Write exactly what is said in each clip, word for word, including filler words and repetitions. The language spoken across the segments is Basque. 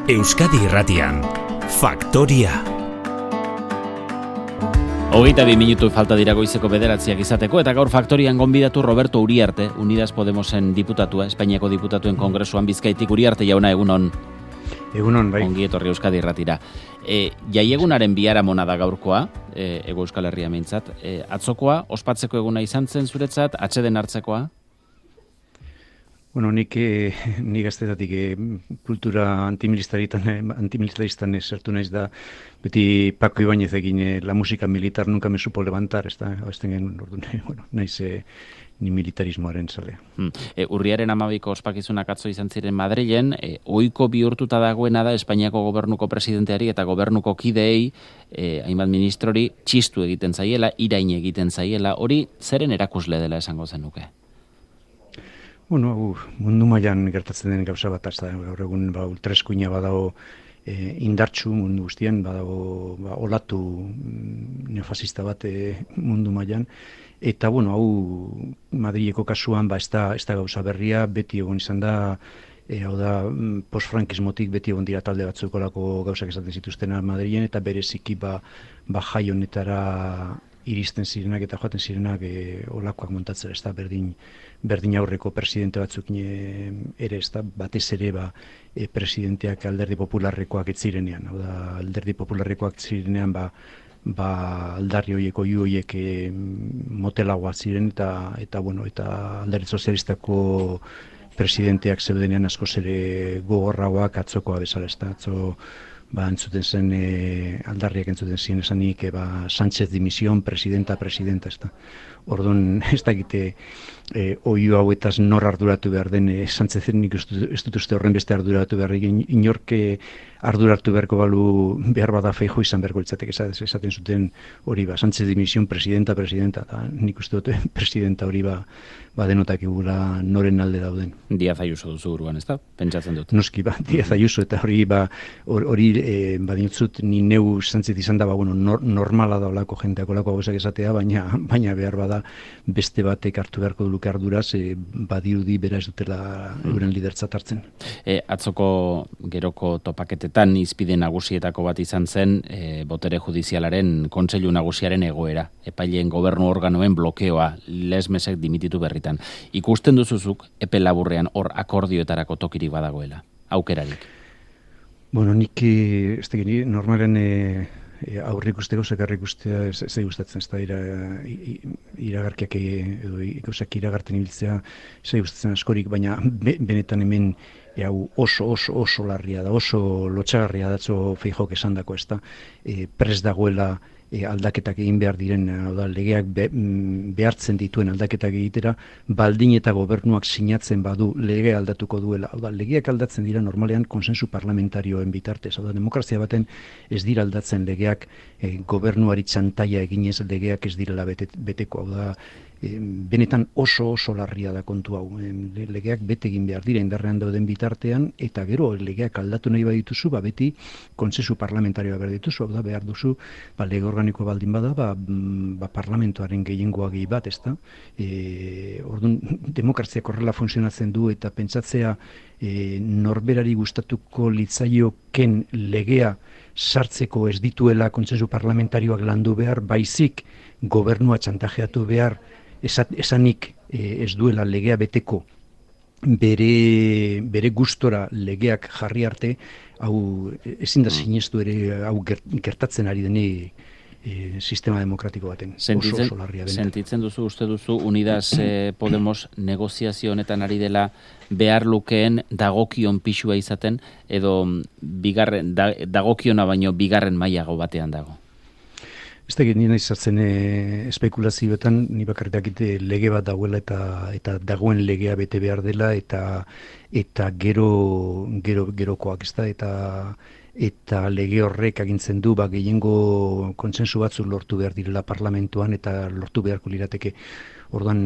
Euskadi Irratian, Faktoria. Hogeita bi minutu falta dira goizeko bederatziak izateko, eta gaur Faktorian gonbidatu Roberto Uriarte, Unidas Podemosen diputatua, Espainiako diputatuen kongresuan Bizkaitik. Uriarte jauna, egunon. Egunon, bai. Ongi etorri Euskadi Irratira. E, jaiegunaren biharamona da gaurkoa, e, Ego Euskal Herria meintzat. E, atzokoa, ospatzeko eguna izan zen zuretzat, atseden hartzekoa? Bueno, nik, eh, nik gaztetatik eh, kultura antimilitaristan, antimilitaristan sartu naiz da, beti Paco Ibáñez egin eh, la música militar nunca me supo levantar, ez da, abazten genuen, orduan, bueno, naiz eh, ni militarismoaren zale. Hmm. E, urriaren amabiko ospakizunak atzo izan ziren Madrilen, e, ohiko bihurtuta dagoena da Espainiako gobernuko presidenteari eta gobernuko kideei, e, hainbat ministrori, txistu egiten zaiela, irain egiten zaiela, hori zeren erakusle dela esango zenuke? Bueno, uh, mundu mailan gertatzen den gauza bat, ez da, gaur egun ba, ultraeskuina badago eh, indartsu mundu guztian, badago ba, olatu neofasista bat eh, mundu mailan, eta bueno, hau Madrileko kasuan ba, ez da, ez da gauza berria, beti egon izan da, e, hau da, postfrankismotik beti egon dira talde batzuk olako gauzak esaten zituztena Madrilen, eta bereziki ba, ba jai honetara iristen zirenak eta joaten zirenak e, olakoak montatzera, ez da, berdin, berdin aurreko presidente batzuk e, ere, ez da, batez ere ba, e, presidenteak alderdi popularrekoak ez zirenean, hau da, alderdi popularrekoak zirenean ba, ba aldarri horiek, oiu horiek e, motelagoa ziren, eta, eta, bueno, eta alderdi sozialistako presidenteak zeudenean askoz ere gogorragoak atzokoa bezala, ez da, atzo, ba, entzuten zen, e, aldarriak entzuten ziren esanik, e, ba, Sánchez dimision, presidenta, presidenta, ez da. Orduan, ez da egite, e, oiu hauetaz nor arduratu behar den, e, Sánchezen nik ez dut uste horren beste arduratu behar, inorke arduratu beharko balu behar bada Feijóo izan beharko litzatek, esaten zuten hori ba, Sánchez dimision, presidenta, presidenta, eta nik uste dut presidenta hori ba, ba denotak egula noren alde dauden. Díaz Ayuso duzu buruan, ez da? Pentsatzen dut. Noski, ba, Díaz Ayuso, eta hori ba, hori e, badintzut ni neu Sánchez izan da, ba, bueno, nor, normala da olako jenteak olako gauzak esatea, baina, baina behar bada beste batek hartu beharko duluke arduraz, e, badirudi bera ez dutela euren lidertzat hartzen. E, atzoko geroko topaketetan izpide nagusietako bat izan zen e, botere judizialaren kontseilu nagusiaren egoera, epaileen gobernu organoen blokeoa, lesmesek dimititu berritan. Ikusten duzuzuk epe laburrean hor akordioetarako tokirik badagoela, aukerarik? Bueno, nik ez tegin, normalen e, e, aurrik usteko zekarrik ustea ez gustatzen, ez da ira, iragarkiak edo ikusak iragarten ibiltzea ez gustatzen askorik, baina be, benetan hemen e, hau oso, oso, oso larria da, oso lotxagarria datzo Feijóok esandako, ez da, e, prest dagoela E, aldaketak egin behar diren, hau da, legeak be, behartzen dituen aldaketak egitera, baldin eta gobernuak sinatzen badu lege aldatuko duela. Hau da, legeak aldatzen dira normalean konsensu parlamentarioen bitartez. Hau da, demokrazia baten ez dira aldatzen legeak e, gobernuari txantaia eginez legeak ez direla bete, beteko. Hau da, e, benetan oso oso larria da kontu hau. E, legeak bete egin behar dira indarrean dauden bitartean, eta gero legeak aldatu nahi badituzu, ba beti konsensu parlamentarioa behar dituzu. Hau da, behar duzu, ba, lege organiko baldin bada, ba, ba parlamentoaren gehiengoa gehi bat, ez da? E, orduan, demokraziak horrela funtzionatzen du, eta pentsatzea e, norberari gustatuko litzaioken legea sartzeko ez dituela kontsensu parlamentarioak landu behar, baizik gobernua txantajeatu behar, esanik e, ez duela legea beteko bere, bere gustora legeak jarri arte, hau ezin da sinestu ere hau gertatzen ari dene e, sistema demokratiko baten. Sentitzen, oso, oso larria dena. Sentitzen duzu, uste duzu, Unidas eh, Podemos negoziazio honetan ari dela behar lukeen dagokion pixua izaten, edo bigarren, da, dagokiona baino bigarren mailago batean dago? Ez da egin nina izartzen e, espekulazioetan, ni bakarrik lege bat dagoela eta eta dagoen legea bete behar dela, eta eta gero, gero gerokoak, ez da, eta eta lege horrek agintzen du ba, gehiengo kontsensu batzuk lortu behar direla parlamentuan, eta lortu beharko lirateke. Orduan,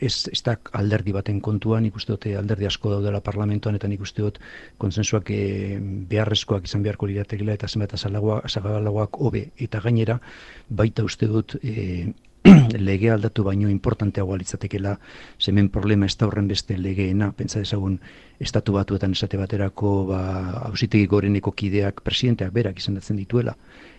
ez, ez da alderdi baten kontuan, nik uste dut alderdi asko daudela parlamentuan, eta nik uste dut konsensuak e, beharrezkoak izan beharko liratekela, eta zenbat azalagoak hobe, eta gainera, baita uste dut e, legea aldatu baino importanteagoa litzatekeela, hemen problema ez da horren beste legeena, pentsa dezagun estatu batuetan esate baterako ba, auzitegi goreneko kideak presidenteak berak izendatzen dituela.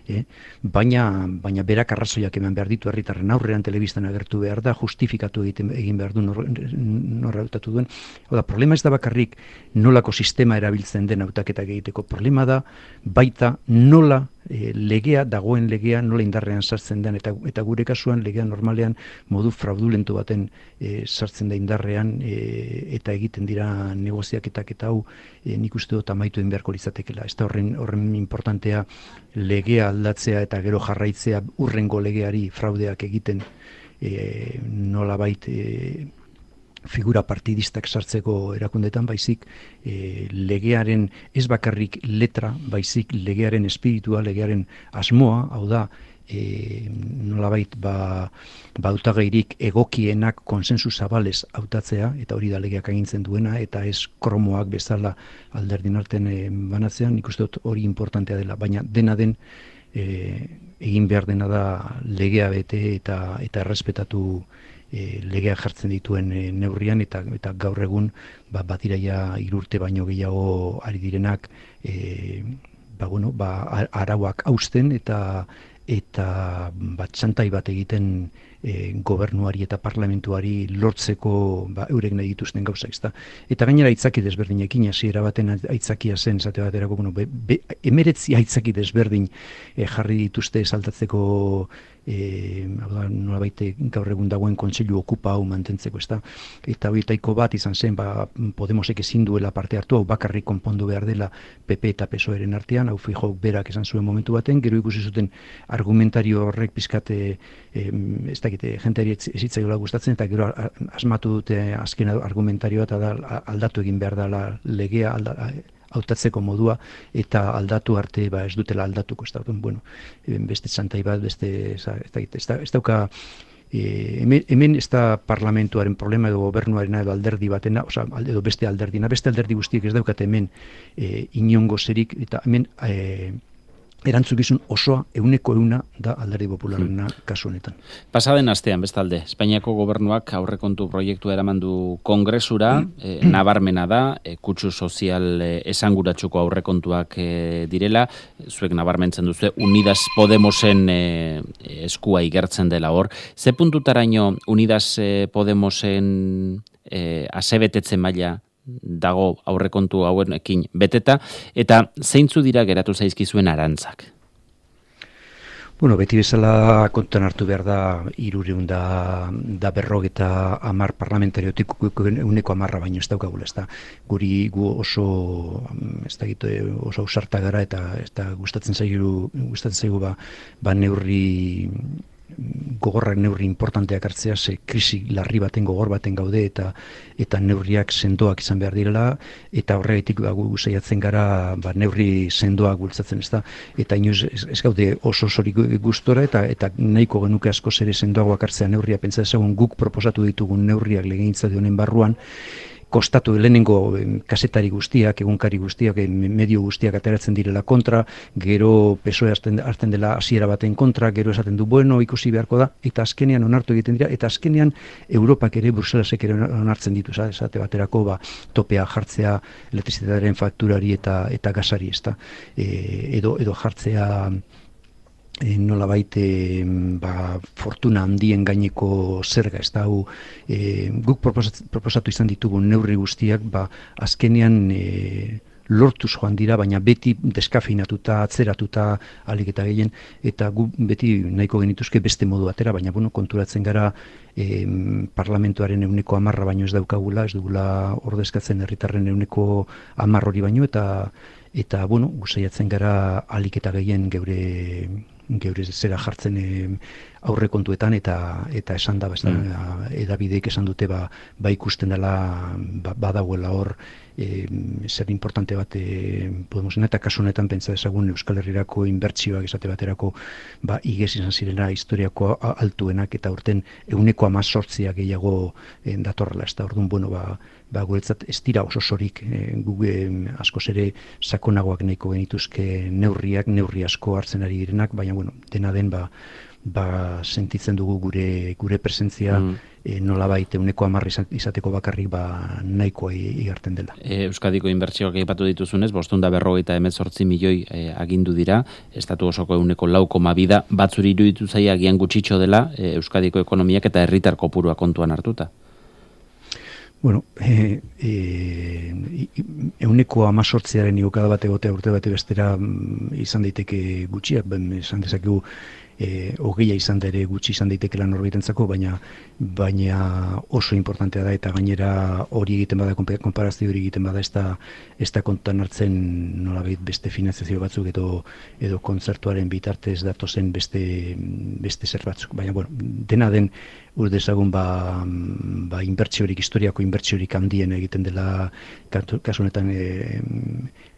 Eh? Baina, baina berak arrazoiak eman behar ditu herritarren aurrean telebistan agertu behar da, justifikatu egiten, egin behar du nor, nor hautatu duen. Oda, problema ez da bakarrik nolako sistema erabiltzen den hautaketak egiteko, problema da baita nola e, legea, dagoen legea, nola indarrean sartzen den, eta, eta gure kasuan legea normalean modu fraudulentu baten e, sartzen da indarrean e, eta egiten dira negoziaketak eta hau e, nik uste dut amaitu egin beharko litzatekeela. Ez da horren, horren importantea legea aldatzea eta gero jarraitzea urrengo legeari fraudeak egiten e, nolabait e, figura partidistak sartzeko erakundetan, baizik e, legearen ez bakarrik letra, baizik legearen espiritua, legearen asmoa, hau da, e, nolabait ba, ba hautagairik egokienak konsensu zabalez hautatzea, eta hori da legeak agintzen duena, eta ez kromoak bezala alderdin artean e, banatzean, nik uste dut hori importantea dela, baina dena den e, egin behar dena da legea bete eta eta errespetatu e, legea jartzen dituen e, neurrian, eta eta gaur egun ba, batiraia irurte baino gehiago ari direnak e, ba, bueno, ba, arauak hausten eta eta bat txantai bat egiten e, gobernuari eta parlamentuari lortzeko ba, eurek nahi dituzten gauza, ezta. Eta gainera aitzaki desberdinekin, hasiera baten aitzakia zen, zate baterako, bueno, be, be, emeretzi aitzaki desberdin e, jarri dituzte saltatzeko e, nolabait gaur egun dagoen kontseilu okupa hau mantentzeko, ezta. Eta horietaiko bat izan zen, ba, Podemosek ezin duela parte hartu, hau bakarrik konpondu behar dela P P eta P S O E-ren artean, hau Feijóok berak esan zuen momentu baten, gero ikusi zuten argumentario horrek pizkate e, ez dakite, jenteari ezitzaiola gustatzen, eta gero asmatu dute azken argumentarioa, eta da, aldatu egin behar dela legea, alda, hautatzeko modua, eta aldatu arte ba, ez dutela aldatuko, ez da, bueno, beste txantai bat, beste, ez, ez, ez dauka, e, hemen, hemen ez da parlamentuaren problema edo gobernuarena edo alderdi batena, oza, edo beste alderdina, beste alderdi guztiek ez daukate hemen e, inongo zerik, eta hemen e, erantzukizun osoa, euneko euna da alderdi popularrena hmm. kasu honetan. Pasaden astean, bestalde, Espainiako gobernuak aurrekontu proiektua eraman du Kongresura, hmm. e, nabarmena da, e, kutsu sozial e, esanguratsuko aurrekontuak e, direla, zuek nabarmentzen duzu, Unidas Podemosen e, eskua igertzen dela hor. Ze puntutaraino Unidas e, Podemosen e, asebetetze maila dago aurrekontu hauenekin beteta, eta zeintzu dira geratu zaizkizuen arantzak? Bueno, beti bezala kontutan hartu behar da hirurehun da, da berrogeta hamar parlamentariotik uneko hamarra baino ez daukagula, ez da. Guri gu oso, ez da gitu, oso ausarta gara, eta, eta gustatzen zaigu, gustatzen zaigu ba, ba neurri gogorrak neurri importanteak hartzea, ze krisi larri baten gogor baten gaude, eta eta neurriak sendoak izan behar direla, eta horregatik ba, gu saiatzen gara ba, neurri sendoak bultzatzen, ez da, eta inoiz ez, ez gaude oso osorik gustora, eta eta nahiko genuke askoz ere sendoagoak hartzea neurria, pentsa dezagun guk proposatu ditugun neurriak legegintza honen barruan, kostatu lehenengo kasetari guztiak, egunkari guztiak, medio guztiak ateratzen direla kontra, gero P S O E hartzen dela hasiera baten kontra, gero esaten du, bueno, ikusi beharko da, eta azkenean onartu egiten dira, eta azkenean Europak ere, Bruselasek ere onartzen ditu, esate baterako ba, topea jartzea elektrizitatearen fakturari eta eta gasari, ezta. E, edo, edo jartzea E, nolabait e, ba, fortuna handien gaineko zerga, ez da, hau e, guk proposatu, proposatu izan ditugu neurri guztiak, ba, azkenean e, lortuz joan dira, baina beti deskafeinatuta, atzeratuta, alik eta gehien, eta gu beti nahiko genituzke beste modu batera, baina bueno, konturatzen gara e, parlamentuaren euneko hamarra baino ez daukagula, ez dugula ordezkatzen herritarren euneko hamar hori baino, eta eta bueno, gusaiatzen gara alik eta gehien geure geure zera jartzen e, aurre kontuetan, eta eta esan da, mm. edabideek esan dute ba, ba ikusten dela ba, badagoela hor e, zer importante bat e, Podemosena, eta kasu honetan pentsa dezagun Euskal Herrirako inbertsioak esate baterako ba igez izan zirela historiako altuenak, eta urten euneko hamazortzia gehiago e, datorrela, ez da, orduan, bueno, ba, ba guretzat ez dira oso sorik e, gu e, askoz ere sakonagoak nahiko genituzke neurriak, neurri asko hartzen ari direnak, baina bueno, dena den ba ba, sentitzen dugu gure gure presentzia mm. e, nolabait ehuneko hamar izateko bakarrik ba, nahikoa igarten dela. E, Euskadiko inbertsioak aipatu dituzunez, bostehun eta berrogeita hemezortzi milioi e, agindu dira, estatu osoko ehuneko lau koma bi da, batzuri iruditu zaia agian gutxitxo dela e, Euskadiko ekonomiak eta herritar kopurua kontuan hartuta. Bueno, e, e, euneko amazortziaren igokada bate gotea urte bate bestera izan daiteke gutxiak, ben, esan dezakegu e, hogeia izan da ere gutxi izan daitekela norbaitentzako, baina baina oso importantea da eta gainera hori egiten bada, konparazio hori egiten bada, ez da, ez da kontuan hartzen nolabait beste finanziazio batzuk edo, edo kontzertuaren bitartez datozen beste, beste zer batzuk. Baina, bueno, dena den ur dezagun ba, ba inbertsiorik, historiako inbertsiorik handien egiten dela kasu honetan e,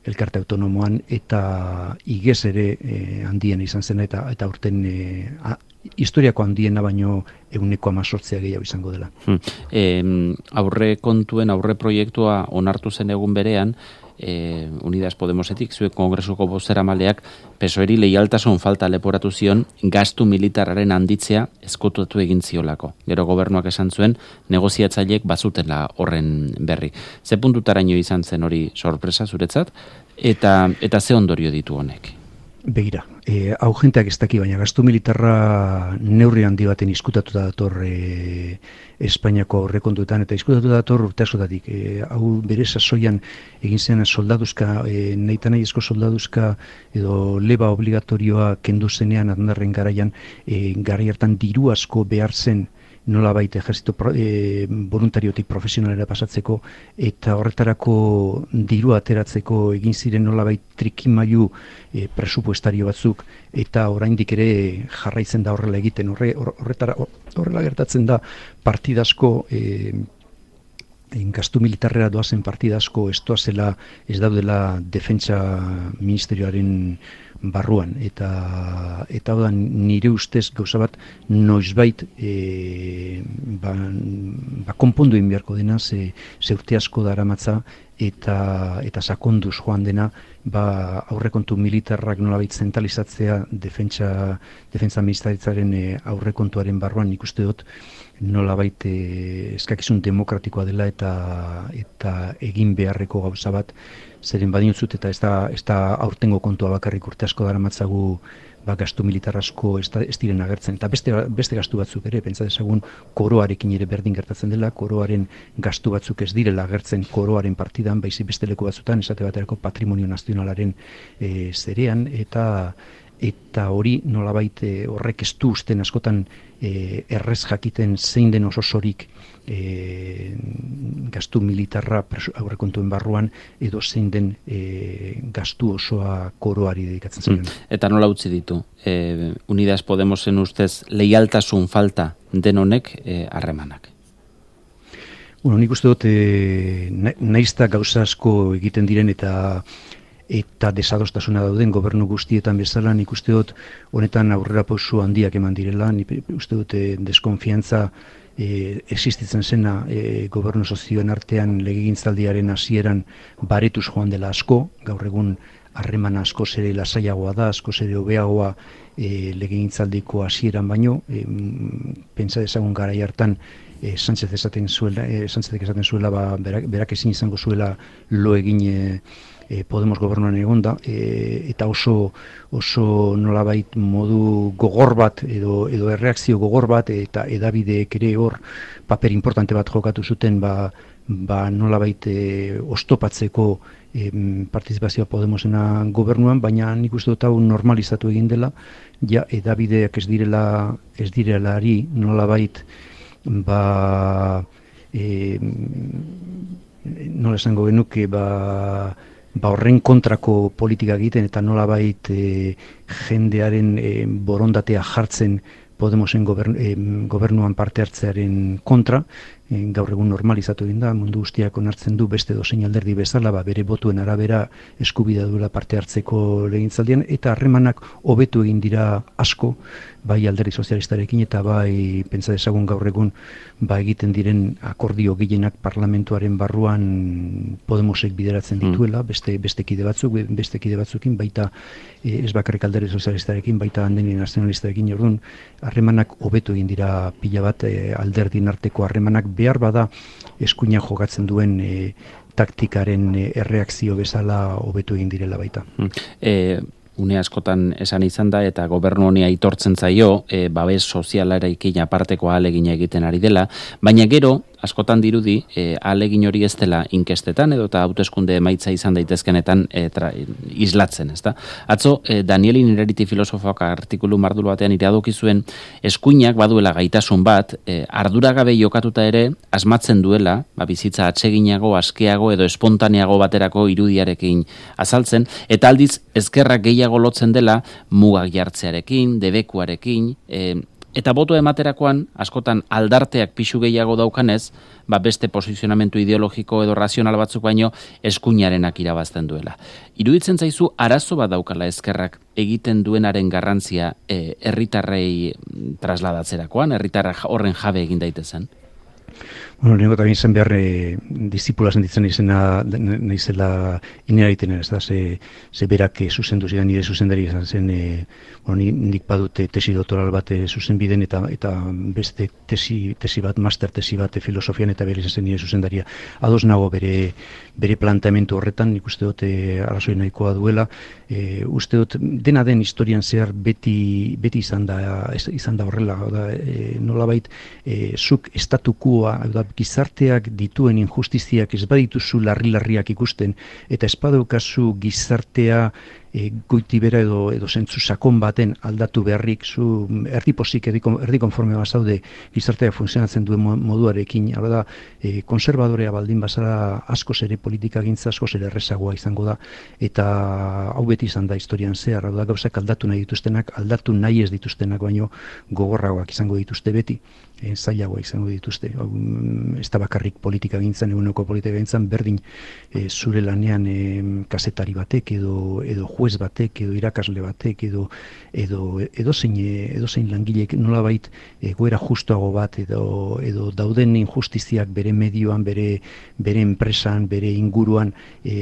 elkarte autonomoan eta igez ere e, handien izan zen eta eta urten e, a, historiako handiena baino ehuneko hamazortzia gehiago izango dela. Hmm. E, aurre kontuen, aurre proiektua onartu zen egun berean, E, Unidas Podemosetik, zuek kongresuko bozeramaleak P S O E-ri leialtasun falta leporatu zion gastu militarraren handitzea ezkutatu egin ziolako. Gero gobernuak esan zuen negoziatzaileek bazutela horren berri. Ze puntutaraino izan zen hori sorpresa zuretzat eta eta ze ondorio ditu honek? Begira, e, hau jenteak ez daki, baina gastu militarra neurri handi baten izkutatuta dator e, Espainiako aurrekontuetan eta izkutatuta dator urte askotatik. E, hau bere sasoian egin zen soldaduzka, e, nahi eta nahiezko soldaduzka edo leba obligatorioa kendu zenean Aznarren garaian, e, garai hartan diru asko behar zen nolabait ejertzito e, voluntariotik profesionalera pasatzeko eta horretarako diru ateratzeko egin ziren nolabait trikimailu e, presupuestario batzuk eta oraindik ere jarraitzen da horrela egiten. Horre, horretara, horrela gertatzen da partidasko e, gastu militarrera doazen partidasko ez doazela, ez daudela defentsa ministerioaren barruan eta eta da nire ustez gauza bat noizbait e, ba, ba konpondu egin beharko dena ze, ze urte asko daramatza eta eta sakonduz joan dena ba aurrekontu militarrak nolabait zentralizatzea defentsa defentsa ministeritzaren e, aurrekontuaren barruan nik uste dut nolabait e, eskakizun demokratikoa dela eta eta egin beharreko gauza bat zeren badintzut eta ez da, ez da aurtengo kontua bakarrik urte asko daramatzagu ba, gastu militar asko ez, da, ez diren agertzen. Eta beste, beste gastu batzuk ere, pentsa dezagun koroarekin ere berdin gertatzen dela, koroaren gastu batzuk ez direla agertzen koroaren partidan, baizik beste leku batzutan, esate baterako patrimonio nazionalaren e, zerean, eta eta hori nolabait e, horrek ez du usten askotan e, errez jakiten zein den ososorik e, gastu militarra aurrekontuen barruan edo zein den e, gastu osoa koroari dedikatzen zen. Mm. Eta nola utzi ditu? E, Unidas Podemosen ustez leialtasun falta den honek harremanak? E, bueno, nik uste dut e, naizta gauza asko egiten diren eta eta desadostasuna dauden gobernu guztietan bezala, nik uste dut honetan aurrera pausu handiak eman direla, nik uste dut e, deskonfiantza e, existitzen zena e, gobernu sozioen artean legegintzaldiaren hasieran baretuz joan dela asko, gaur egun harremana asko zere lasaiagoa da, asko zere hobeagoa e, legegintzaldiko hasieran baino, e, pentsa dezagun garai hartan e, Sánchez esaten zuela, e, Sánchezek esaten zuela, ba, berak, berak ezin izango zuela lo egin e, E, Podemos gobernuan egonda e, eta oso oso nolabait modu gogor bat edo edo erreakzio gogor bat eta edabideek ere hor paper importante bat jokatu zuten ba, ba nolabait e, ostopatzeko e, partizipazioa Podemosena gobernuan, baina nik uste dut hau normalizatu egin dela, ja edabideak ez direla ez direlari nolabait ba e, nola esango genuke ba ba horren kontrako politika egiten eta nolabait e, jendearen e, borondatea jartzen Podemosen gobernu, e, gobernuan parte hartzearen kontra, gaur egun normalizatu egin da, mundu guztiak onartzen du beste dozein alderdi bezala, ba, bere botuen arabera eskubidea duela parte hartzeko legegintzaldian, eta harremanak hobetu egin dira asko, bai alderdi sozialistarekin eta bai pentsa dezagun gaur egun ba egiten diren akordio gehienak parlamentuaren barruan Podemosek bideratzen dituela, beste beste kide batzuk, beste kide batzuekin, baita e, ez bakarrik alderdi sozialistarekin, baita alderdi nazionalistarekin. Orduan harremanak hobetu egin dira pila bat, e, alderdien arteko harremanak behar bada eskuina jokatzen duen e, taktikaren e, erreakzio bezala hobetu egin direla baita. E, une askotan esan izan da eta gobernu honi aitortzen zaio, e, babes sozialarekin aparteko ahalegina egiten ari dela, baina gero askotan dirudi e, ahalegin hori ez dela inkestetan edo eta hauteskunde emaitza izan daitezkenetan e, tra, islatzen, ezta? Atzo e, Danieli Nereriti filosofoak artikulu mardul batean iradoki zuen eskuinak baduela gaitasun bat, e, arduragabe jokatuta ere asmatzen duela, ba, bizitza atseginago, askeago edo espontaneago baterako irudiarekin azaltzen, eta aldiz ezkerrak gehiago lotzen dela mugak jartzearekin, debekuarekin, e, eta boto ematerakoan, askotan aldarteak pixu gehiago daukanez, ba beste posizionamentu ideologiko edo razional batzuk baino eskuinarenak irabazten duela. Iruditzen zaizu arazo bat daukala ezkerrak egiten duenaren garrantzia e, herritarrei trasladatzerakoan, herritarra horren jabe egin daitezen? Bueno, lehenko eta bintzen behar e, disipula sentitzen izena naizela inera egiten, ez da, ze, ze berak e, zuzendu zidan nire zuzendari izan zen, e, bueno, nik badute tesi doktoral bat e, zuzen biden eta, eta beste tesi, tesi bat, master tesi bat e, filosofian eta bere izan zen nire zuzendaria. Ados nago bere, bere planteamendu horretan, nik uste dut e, arrazoi nahikoa duela, e, uste dut dena den historian zehar beti, beti izan da, izan da horrela, da, e, nolabait, e, zuk estatukoa, da, gizarteak dituen injustiziak ez badituzu larri-larriak ikusten, eta ez badaukazu gizartea e, goitibera edo, edo zentzu sakon baten aldatu beharrik, zu erdi posik, erdi, erdi konforme bazaude gizartea funtzionatzen duen moduarekin, hau da, e, konservadorea baldin bazara askoz ere politika gintza, askoz ere errezagoa izango da, eta hau beti izan da historian zehar, hau da, gauzak aldatu nahi dituztenak, aldatu nahi ez dituztenak, baino gogorragoak izango dituzte beti, e, zailagoa izango dituzte. Hau, ez da bakarrik politika gintzan, eguneko politika gintzan, berdin e, zure lanean e, kazetari batek, edo, edo juez batek, edo irakasle batek, edo edo edo zein edo zein langilek nolabait egoera justuago bat edo edo dauden injustiziak bere medioan, bere bere enpresan, bere inguruan e,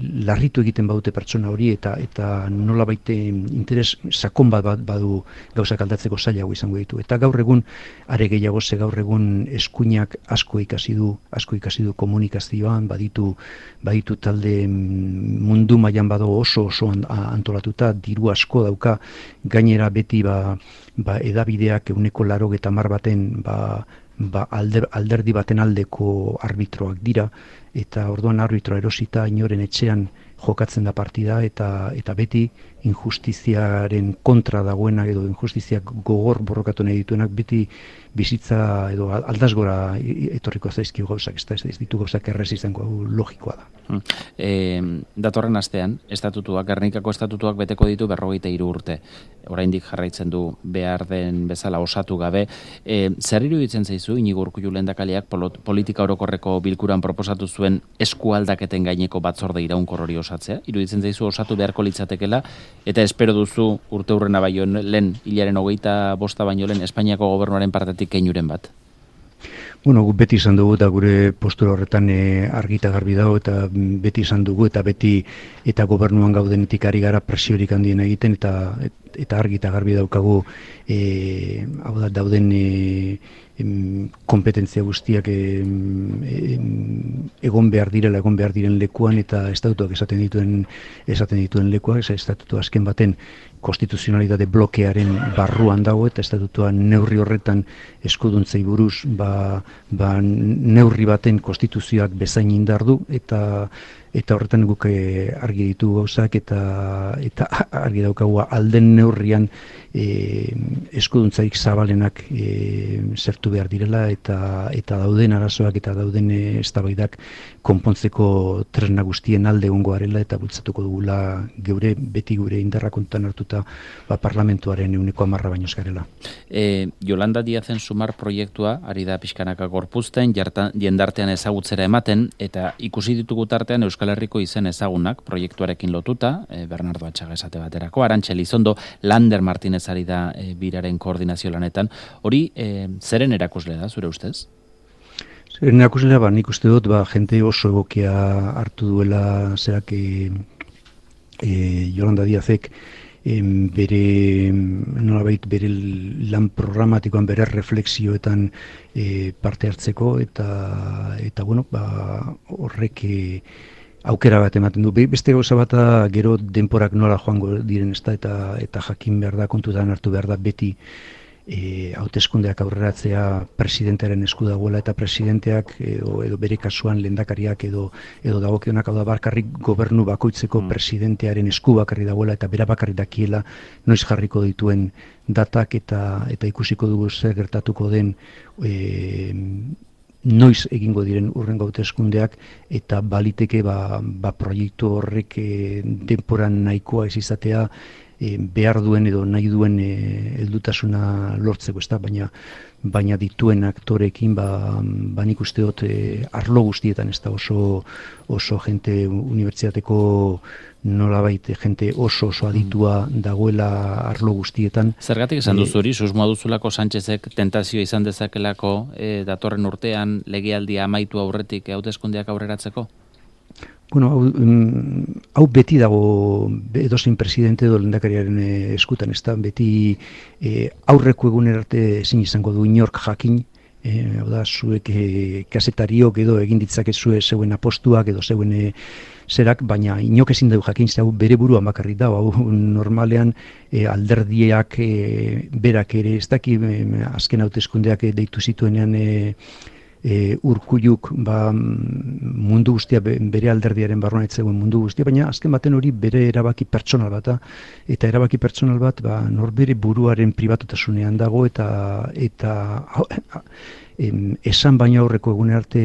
larritu egiten badute pertsona hori eta eta nolabait interes sakon bat badu gauzak aldatzeko zailago izango ditu. Eta gaur egun are gehiago ze gaur egun eskuinak asko ikasi du, asko ikasi du komunikazioan, baditu baditu talde mundu mailan bado oso oso antolatuta, diru asko dauka, gainera beti ba, ba edabideak ehuneko laurogeita hamar baten ba ba alder, alderdi baten aldeko arbitroak dira, eta orduan arbitro erosita inoren etxean jokatzen da partida, eta eta beti injustiziaren kontra dagoenak edo injustiziak gogor borrokatu nahi dituenak beti bizitza edo aldasgora etorriko zaizkio gauzak, ez da, ez ditu gauzak errez izango, logikoa da. E, datorren astean, estatutuak, Gernikako estatutuak beteko ditu berrogeita hiru urte. Oraindik jarraitzen du behar den bezala osatu gabe. E, zer iruditzen zaizu, Inigo Urkullu lehendakariak politika orokorreko bilkuran proposatu zuen eskualdaketen gaineko batzorde iraunkor hori osatzea? Iruditzen zaizu osatu beharko litzatekela, eta espero duzu urte hurrena baino lehen, hilaren hogeita bosta baino lehen, Espainiako gobernuaren partetik keinuren bat? Bueno, beti izan dugu eta gure postura horretan e, argita garbi dago, eta beti izan dugu eta beti eta gobernuan gaudenetik ari gara presiorik handien egiten, eta eta argita garbi daukagu e, hau da dauden e, em, kompetentzia guztiak em, em, egon behar direla, egon behar diren lekuan, eta estatutuak esaten dituen esaten dituen lekuak, estatutu azken baten konstituzionalitate blokearen barruan dago, eta estatutua neurri horretan eskuduntzei buruz ba, ba neurri baten konstituzioak bezain indar du, eta eta horretan guk argi ditu gauzak eta eta argi daukagu alden neurrian e, eskuduntzarik zabalenak e, zertu behar direla eta eta dauden arazoak eta dauden eztabaidak konpontzeko tresna guztien alde egongo garela eta bultzatuko dugula geure beti gure indarra kontutan hartuta ba, parlamentuaren ehuneko hamarra baino ez garela. E, Yolanda Díazen Sumar proiektua ari da pixkanaka gorpuzten, jartan, jendartean ezagutzera ematen, eta ikusi ditugu tartean Euskal Herriko izen ezagunak proiektuarekin lotuta, e, Bernardo Atxaga esate baterako, Arantxa Elizondo, Lander Martinez ari da e, biraren koordinazio lanetan. Hori, e, zeren erakusle da, zure ustez? Zeren erakuslea, ba, nik uste dut, ba, jente oso egokia hartu duela zerak e, e, Yolanda Díazek, Em, bere nolabait bere lan programatikoan bere reflexioetan e, parte hartzeko eta eta bueno ba horrek e, aukera bat ematen du. Beste gauza bata gero denporak nola joango diren ezta eta eta jakin behar da kontutan hartu behar da beti E, hauteskundeak aurreratzea presidentearen esku dagoela eta presidenteak edo, edo bere kasuan lehendakariak edo edo dagokionak hau da bakarrik gobernu bakoitzeko mm. presidentearen esku bakarri dagoela eta bera bakarri dakiela noiz jarriko dituen datak eta eta ikusiko dugu zer gertatuko den e, noiz egingo diren hurrengo hauteskundeak eta baliteke ba, ba proiektu horrek e, denporan nahikoa ez izatea E, behar duen edo nahi duen heldutasuna lortzeko, ezta, baina baina dituen aktorekin ba ba nik uste dut e, arlo guztietan ezta oso oso jente unibertsitateko nolabait jente oso oso aditua dagoela arlo guztietan. Zergatik esan duzu hori, susmoa duzulako Sánchezek tentazioa izan dezakelako e, datorren urtean legealdia amaitu aurretik hauteskundeak aurreratzeko? Bueno, hau, um, hau beti dago edozein presidente edo lehendakariaren eh, eskutan, ez da, beti eh, aurreko eguner arte ezin izango du inork jakin, eh, hau da, zuek eh, kasetariok edo egin ditzakezue zeuen apostuak edo zeuen eh, zerak, baina inok ezin dugu jakin, hau bere buruan bakarrik da, hau normalean eh, alderdiak eh, berak ere, ez daki eh, azken hauteskundeak eh, deitu zituenean eh, E, Urkulluk ba, mundu guztia bere alderdiaren barruan ez zegoen mundu guztia, baina azken baten hori bere erabaki pertsonal bat eta erabaki pertsonal bat ba, norbere buruaren pribatutasunean dago eta eta em, esan baina aurreko egune arte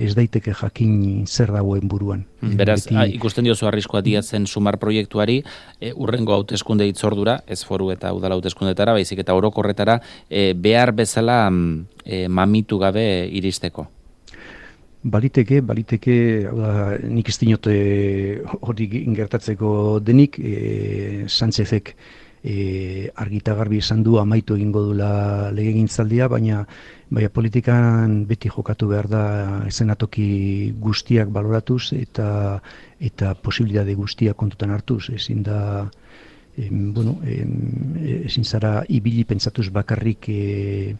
ez daiteke jakin zer dagoen buruan. Beraz, Beti... a, ikusten diozu arriskoa Díazen Sumar proiektuari e, urrengo hauteskunde hitzordura, ez foru eta udala hauteskundetara, baizik eta orokorretara e, behar bezala e, mamitu gabe iristeko. Baliteke, baliteke, hau da, nik ez dinot hori gertatzeko denik, e, Sánchezek e, argita garbi esan du amaitu egingo dula legegintzaldia, baina baina politikan beti jokatu behar da ezenatoki guztiak baloratuz eta eta posibilitate guztiak kontutan hartuz, ezin da em, bueno, em, ezin zara ibili pentsatuz bakarrik e,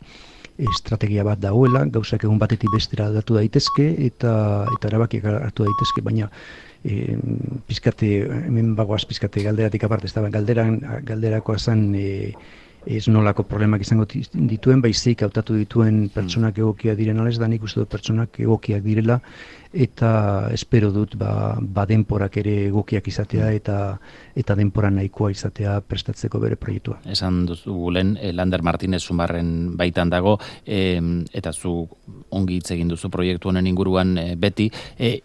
estrategia bat dagoela, gauzak egun batetik bestera datu daitezke eta eta erabakiak hartu daitezke, baina e, pizkate, hemen bagoaz pizkate galderatik aparte, ez da, galderan, galderakoa zen e, ez nolako problemak izango dituen, baizik hautatu dituen pertsonak egokia diren alez, da nik uste dut pertsonak egokiak direla, eta espero dut ba, ba denporak ere egokiak izatea eta eta denpora nahikoa izatea prestatzeko bere proiektua. Esan duzu lehen, Lander Martinez Sumarren baitan dago, e, eta zu ongi hitz egin duzu proiektu honen inguruan e, beti, e,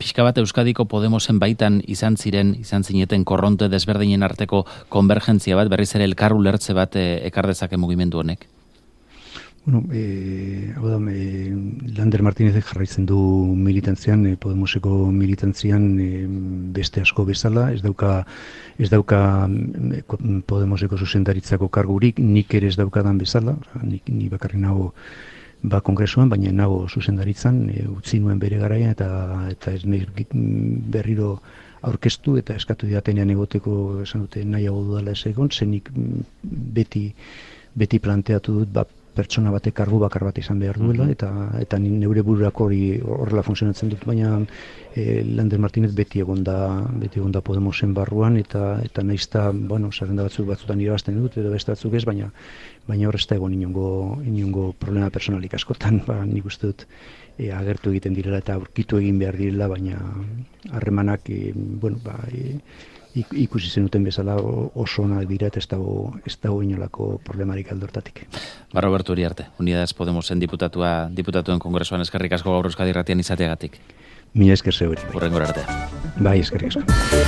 pixka bat Euskadiko Podemosen baitan izan ziren, izan zineten korronte desberdinen arteko konvergentzia bat, berriz ere elkar ulertze bat e, ekar dezake mugimendu honek? Bueno, eh, hau da, eh, Lander Martinezek jarraitzen du militantzian, eh, Podemoseko militantzian eh, beste asko bezala, ez dauka, ez dauka eh, Podemoseko zuzendaritzako kargurik, nik ere ez daukadan bezala, nik, ni bakarri nago ba kongresuan, baina nago zuzendaritzan, e, utzi nuen bere garaian eta eta ez berriro aurkeztu eta eskatu diatenean egoteko esan dute nahiago dudala ez egon, zenik beti beti planteatu dut ba, pertsona batek kargu bakar bat izan behar duela, eta eta ni neure bururako hori horrela funtzionatzen dut, baina e, Lander Martinez beti egon da, beti egon da Podemosen barruan, eta eta naizta, bueno, zerrenda batzuk batzutan irabazten dut, edo beste batzuk ez, baina baina hor ez da egon inongo, inongo problema personalik askotan, ba, nik uste dut e, agertu egiten direla eta aurkitu egin behar direla, baina harremanak, e, bueno, ba, e, ikusi zenuten bezala oso onak dira eta ez dago, ez dago inolako problemarik aldortatik. Ba, Roberto Uriarte, Unidas Podemosen diputatua, diputatuen kongresuan eskerrik asko gaur Euskadi Irratian izateagatik. Mila esker zeurik. Hurrengora arte. Bai, eskerrik asko.